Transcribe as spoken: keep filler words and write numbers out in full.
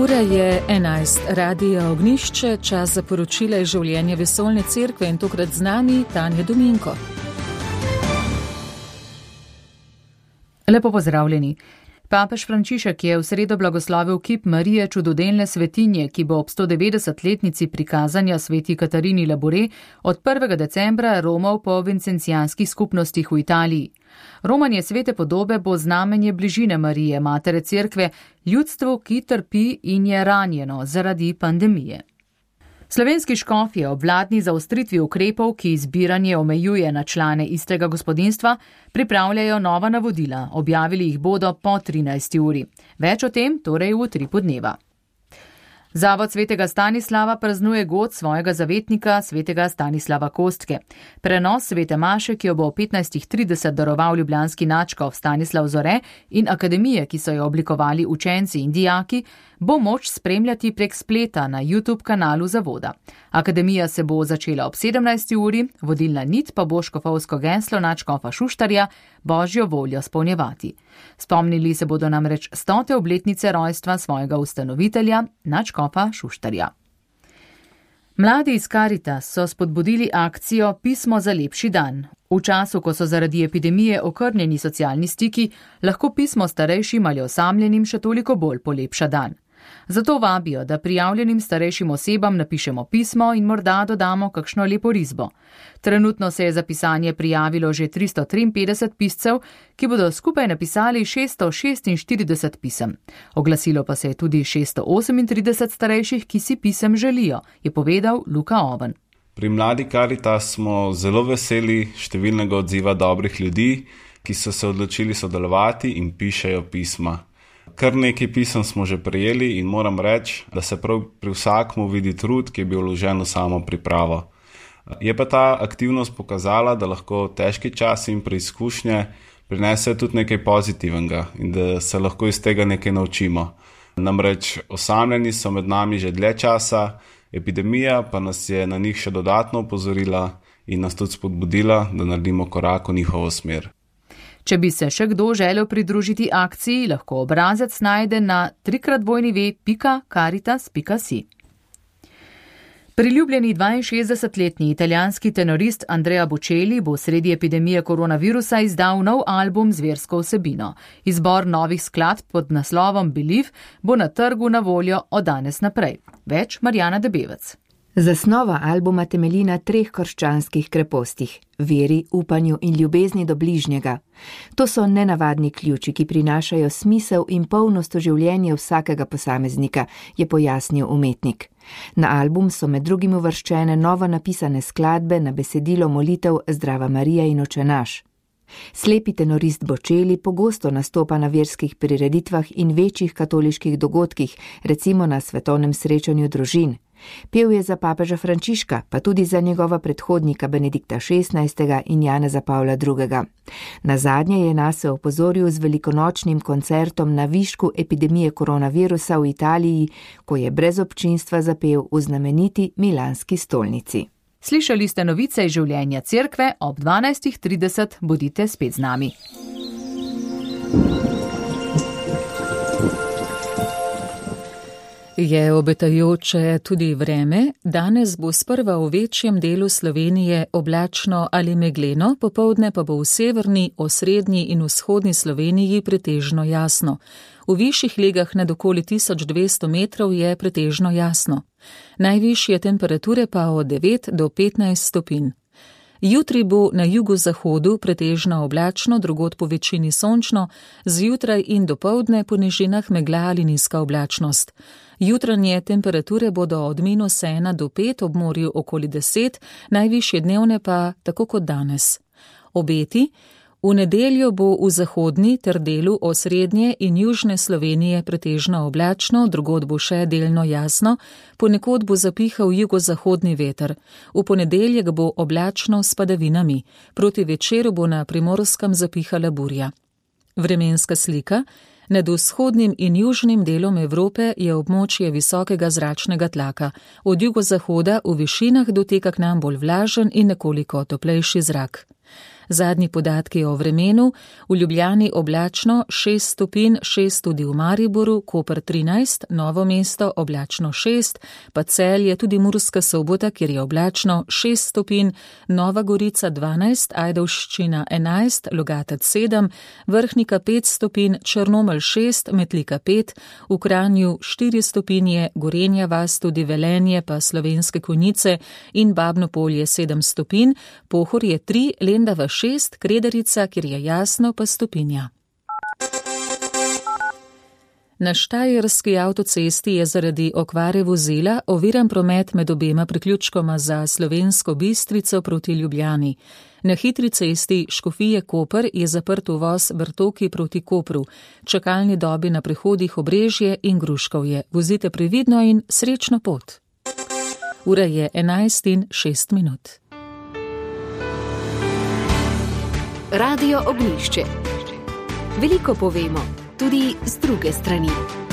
Ura je enajst, Radio Ognjišče, čas za poročila iz življenja Vesoljne cerkve in tokrat z nami Tanja Dominko. Lepo pozdravljeni. Papež Frančišek je v sredo blagoslovil kip Marije čudodelne svetinje, ki bo ob sto devetdesetletnici prikazanja sveti Katarini Labore od prvega decembra romal po vincencijanskih skupnostih v Italiji. Romanje svete podobe bo znamenje bližine Marije, matere cerkve, ljudstvu, ki trpi in je ranjeno zaradi pandemije. Slovenski škofje ob vladni zaostritvi ukrepov, ki zbiranje omejuje na člane istega gospodinjstva, pripravljajo nova navodila. Objavili jih bodo po trinajsti uri. Več o tem torej v utripu dneva. Zavod svetega Stanislava praznuje god svojega zavetnika, svetega Stanislava Kostke. Prenos svete maše, ki jo bo o petnajstih trideset daroval ljubljanski nadškof Stanislav Zore in akademije, ki so jo oblikovali učenci in dijaki, bo moč spremljati prek spleta na YouTube kanalu zavoda. Akademija se bo začela ob sedemnajsti uri, vodilna nit pa bo škofovsko geslo nadškofa Šuštarja Božjo voljo spolnjevati. Spomnili se bodo namreč stote obletnice rojstva svojega ustanovitelja, nadškofa Šuštarja. Mladi iz Karitas so spodbudili akcijo Pismo za lepši dan. V času, ko so zaradi epidemije okrnjeni socialni stiki, lahko pismo starejšim ali osamljenim še toliko bolj polepša dan. Zato vabijo, da prijavljenim starejšim osebam napišemo pismo in morda dodamo kakšno lepo risbo. Trenutno se je za pisanje prijavilo že tristo triinpetdeset piscev, ki bodo skupaj napisali šeststo šestinštirideset pisem. Oglasilo pa se je tudi šeststo osemintrideset starejših, ki si pisem želijo, je povedal Luka Oven. Pri Mladi Karitas smo zelo veseli številnega odziva dobrih ljudi, ki so se odločili sodelovati in pišejo pisma. Kar nekaj pisem smo že prejeli in moram reči, da se prav pri vsakmu vidi trud, ki je bil vložen v samo pripravo. Je pa ta aktivnost pokazala, da lahko težki časi in preizkušnje prinesejo tudi nekaj pozitivnega in da se lahko iz tega nekaj naučimo. Namreč osamljeni so med nami že dlje časa, epidemija pa nas je na njih še dodatno opozorila in nas tudi spodbudila, da naredimo korak v njihovo smer. Če bi se še kdo želel pridružiti akciji, lahko obrazec najde na trikrat dvojni ve pika karitas pika si. Priljubljeni dvainšestdesetletni italijanski tenorist Andrea Bocelli bo sredi epidemije koronavirusa izdal nov album z versko vsebino. Izbor novih skladb pod naslovom Believe bo na trgu na voljo od danes naprej. Več Marjana Debevec. Zasnova albuma temelji na treh krščanskih krepostih – veri, upanju in ljubezni do bližnjega. To so nenavadni ključi, ki prinašajo smisel in polnost v življenje vsakega posameznika, je pojasnil umetnik. Na album so med drugim uvrščene novo napisane skladbe na besedilo molitev Zdrava Marija in Oče naš. Slepi tenorist Bocelli pogosto nastopa na verskih prireditvah in večjih katoliških dogodkih, recimo na svetovnem srečanju družin. Pel je za papeža Frančiška, pa tudi za njegova predhodnika Benedikta šestnajstega in Janeza Pavla drugega. Nazadnje je nase opozoril z velikonočnim koncertom na višku epidemije koronavirusa v Italiji, ko je brez občinstva zapel v znameniti milanski stolnici. Slišali ste novice iz življenja cerkve, ob dvanajstih trideset bodite spet z nami. Je obetajoče tudi vreme, danes bo sprva v večjem delu Slovenije oblačno ali megleno, popoldne pa bo v severni, osrednji in vzhodni Sloveniji pretežno jasno. V višjih legah nad okoli tisoč dvesto metrov je pretežno jasno. Najvišje temperature pa od devet do petnajst stopinj. Jutri bo na jugozahodu pretežno oblačno, drugod po večini sončno, zjutraj in dopoldne po nižinah megla ali nizka oblačnost. Jutranje temperature bodo od minus ena do pet, ob morju okoli deset, najvišje dnevne pa tako kot danes. Obeti: v nedeljo bo v zahodni ter delu osrednje in južne Slovenije pretežno oblačno, drugod bo še delno jasno, ponekod bo zapihal jugozahodni veter. V ponedeljek bo oblačno s padavinami, proti večeru bo na Primorskem zapihala burja. Vremenska slika: nad vzhodnim in južnim delom Evrope je območje visokega zračnega tlaka. Od jugozahoda v višinah doteka k nam bolj vlažen in nekoliko toplejši zrak. Zadnji podatki o vremenu: v Ljubljani oblačno šest stopinj, šest tudi v Mariboru, Koper trinajst, Novo mesto oblačno šest, pa Celje, tudi Murska Sobota, kjer je oblačno šest stopinj, Nova Gorica dvanajst, Ajdovščina enajst, Logatec sedem, Vrhnika pet stopinj, Črnomelj šest, Metlika pet, v Kranju štiri stopinje, Gorenja vas, tudi Velenje pa Slovenske Konjice in Babno Polje sedem stopinj, Pohorje tri, Lendava šest, Kredarica, kjer je jasno, pa stopinja. Na štajerski avtocesti je zaradi okvare vozila oviran promet med obema priključkoma za Slovensko Bistrico proti Ljubljani. Na hitri cesti Škofije-Koper je zaprt uvoz Bertoki proti Kopru, čakalni dobi na prehodih Obrežje in Gruškovje. Vozite previdno in srečno pot. Ura je enajst in šest minut. Radio Ognjišče. Veliko povemo, tudi z druge strani.